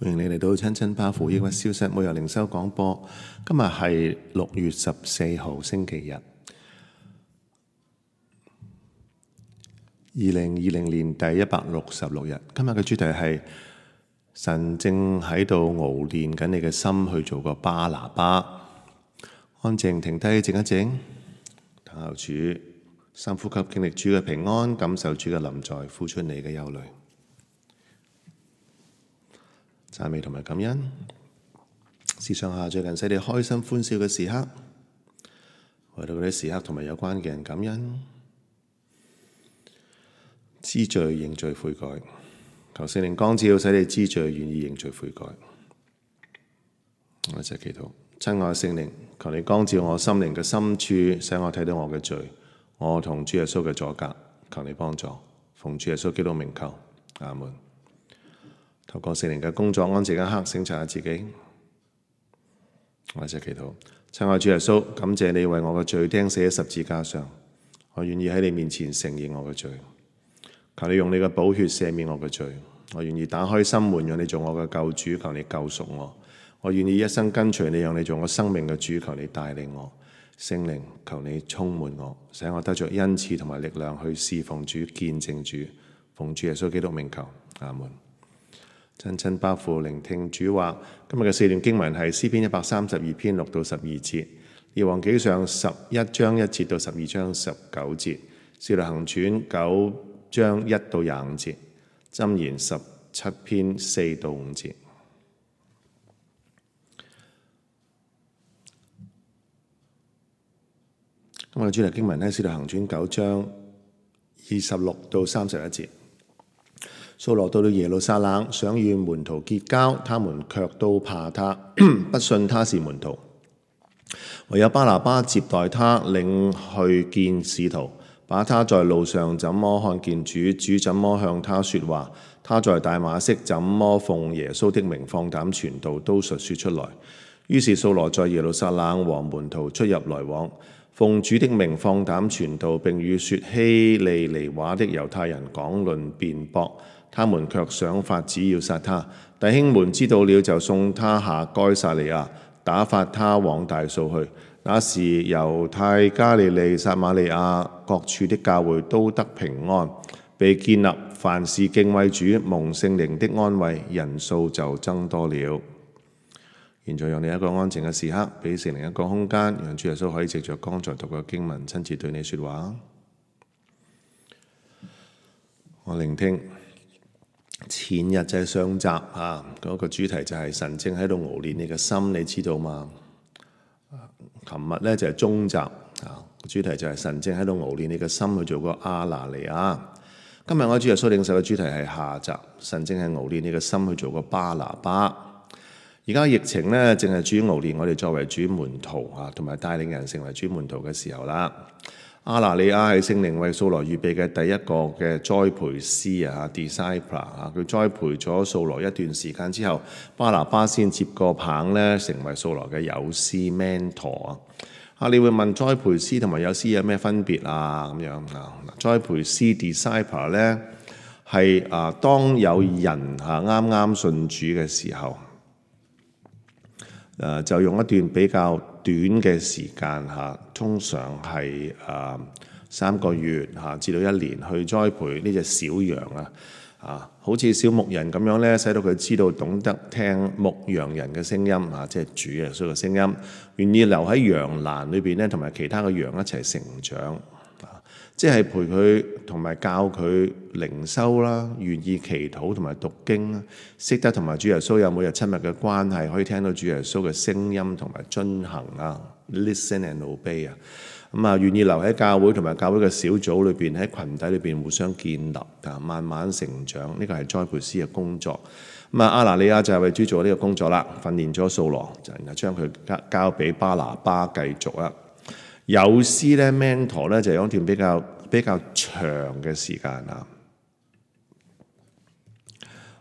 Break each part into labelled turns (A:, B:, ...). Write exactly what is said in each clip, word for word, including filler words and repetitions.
A: 歡迎你嚟到親親巴父抑鬱消失每日靈修廣播。今日係六月十四號星期日，二零二零年第一百六十六日。今日嘅主題係神正喺度熬練緊你嘅心去做個巴拿巴。安靜停低靜一靜，等候主，深呼吸，經歷主嘅平安，感受主嘅臨在，呼出你嘅憂慮。讚美同埋感恩，思想下最近使你開心歡笑嘅時刻，為到嗰啲時刻同埋有關嘅人感恩，知罪認罪悔改，求聖靈光照，使你知罪願意認罪悔改。我一齊祈禱，親愛聖靈，求你光照我心靈嘅深處，使我睇到我嘅罪，我同主耶穌嘅阻隔，求你幫助，奉主耶穌基督名求，阿門。透過聖靈嘅工作，安靜一刻，省察下自己。我一齊祈禱，親愛主耶穌，感謝你為我嘅罪釘死喺十字架上，我願意喺你面前承認我嘅罪，求你用你嘅寶血赦免我嘅罪，我願意打開心門，讓你做我嘅救主，求你救贖我，我願意一生跟隨你，讓你做我生命嘅主，求你帶領我，聖靈，求你充滿我，使我得着恩賜同埋力量去侍奉主、見證主，奉主耶穌基督名求，阿門。親親巴父聆聽主話，今日嘅四段經文係詩篇一百三十二篇六到十二節，列王紀上十一章一節到十二章十九節，使徒行傳九章一到廿五節，箴言十七篇四到五節。今日嘅主題經文係使徒行傳九章二十六到三十一節。掃羅到了耶路撒冷，想與門徒結交，他們卻都怕他，不信他是門徒。唯有巴拿巴接待他，領去見使徒，把他在路上怎麼看見主，主怎麼向他說話，他在大馬色怎麼奉耶穌的名放膽傳道，都述說出來。於是掃羅在耶路撒冷和門徒出入來往，奉主的名放膽傳道，並與說希利尼話的猶太人講論辯駁。他們卻想法子要殺他，弟兄們知道了就送他下該撒利亞，打發他往大數去。那時猶太、加利利、撒瑪利亞各處的教會都得平安，被建立，凡事敬畏主，蒙聖靈的安慰，人數就增多了。現在讓你一個安靜嘅時刻，俾聖靈一個空間，讓主耶穌可以藉着剛才讀嘅經文親自對你說話。我聆聽。前日就係上集啊，嗰、那個主題就係神正喺度熬練你嘅心，你知道嘛？琴日咧就係中集啊，主題就係神正喺度熬練你嘅心去做個亞拿尼亞。今日我主耶穌領受嘅主題係下集，神正係熬練你嘅心去做個巴拿巴。而家疫情咧正係主熬練我哋作為主門徒啊，同埋帶領人成為主門徒嘅時候啦。亞拿尼亞係聖靈為掃羅預備嘅第一個嘅栽培師啊 ，disciple 啊，佢栽培咗掃羅一段時間之後，巴拿巴先接個棒咧，成為掃羅嘅友師 mentor 啊。啊，你會問栽培師同埋友師有咩分別啊？咁樣啊，栽培師 disciple 咧係啊，當有人嚇啱啱信主嘅時候，誒、啊、就用一段比較短嘅時間嚇，通常係誒三個月嚇至到一年去栽培呢隻小羊啊，啊，好似小牧人咁樣咧，使到佢知道懂得聽牧羊人嘅聲音啊，即係主耶穌嘅聲音，願意留喺羊欄裏邊咧，同埋其他嘅羊一齊成長啊，即係陪佢同埋教佢靈修啦，願意祈禱同埋讀經啦，識得同埋主耶穌有每日親密嘅關係，可以聽到主耶穌嘅聲音同埋遵行啊 ，listen and obey 啊，咁啊願意留喺教會同埋教會嘅小組裏邊，喺群體裏邊互相建立啊，慢慢成長，呢個係栽培師嘅工作。咁啊，亞拿尼亞就係為主做呢個工作啦，訓練咗掃羅，就然後將佢交交俾巴拿巴繼續啦。友師咧 mentor 咧就有一段比較比較長嘅時間啊，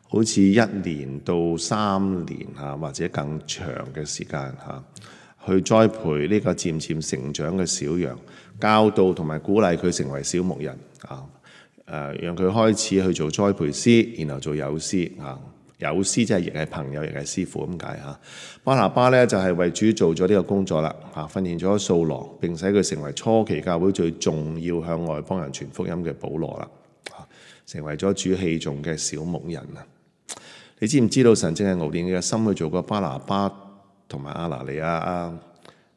A: 好似一年到三年嚇，或者更長嘅時間嚇，去栽培呢個漸漸成長嘅小羊，教導同埋鼓勵佢成為小牧人啊，誒，讓佢開始去做栽培師，然後做友師啊，友師即係亦係朋友，亦係師傅咁解嚇。巴拿巴咧就係為主做咗呢個工作啦，嚇訓練咗掃羅，並使佢成為初期教會最重要向外邦人傳福音嘅保羅啦，成為咗主器重嘅小牧人啊！你知唔知道神正係熬煉你嘅心去做個巴拿巴同埋亞拿尼亞啊？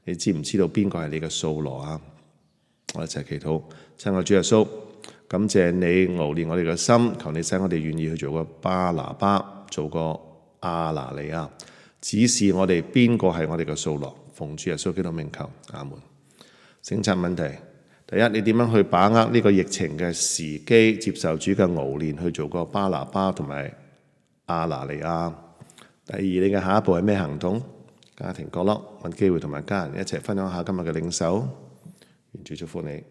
A: 你知唔知道邊個係你嘅掃羅啊？我一齊祈禱，親愛主耶穌，感謝你熬煉我哋嘅心，求你使我哋願意去做個巴拿巴，做個亞拿尼亞，指示我哋邊個係我哋嘅掃羅。奉主耶穌基督名求，阿門。省察問題：第一，你點樣去把握呢個疫情嘅時機，接受主嘅熬煉，去做個巴拿巴同埋亞拿尼亞？第二，你嘅下一步係咩行動？家庭角落，揾機會同埋家人一齊分享下今日嘅領受。願主祝福你。